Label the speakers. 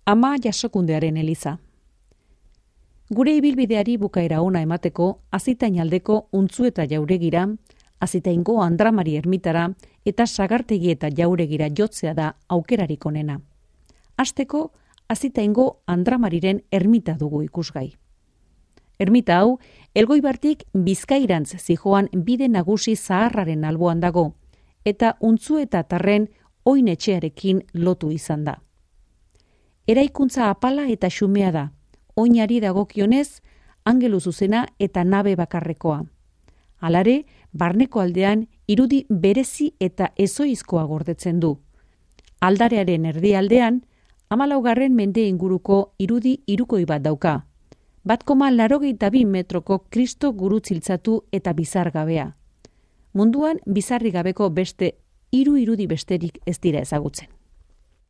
Speaker 1: Ama Jasokundearen eliza. Gure ibilbideari bukaera ona emateko, Azitainaldeko Untzueta jauregira, Azitaingo Andramari ermitara eta Sagartegi eta jauregira jotzea da aukerarik onena. Hasteko, Azitaingo Andramariren ermita dugu ikusgai. Ermita hau, Elgoibartik Bizkairantz zijoan bide nagusi zaharraren alboan dago, eta Untzueta tarren oinetxearekin lotu izan da. Eraikuntza apala eta xumea da, oinari dagokionez, angelu zuzena eta nabe bakarrekoa. Halare, barneko aldean irudi berezi eta ezoizkoa gordetzen du. Aldarearen erdialdean, 14. mende inguruko irudi hirukoi bat dauka. 1,82 metroko Kristo gurutziltzatu eta bizargabea. Munduan bizarri gabeko beste 3 irudi besterik ez dira ezagutzen.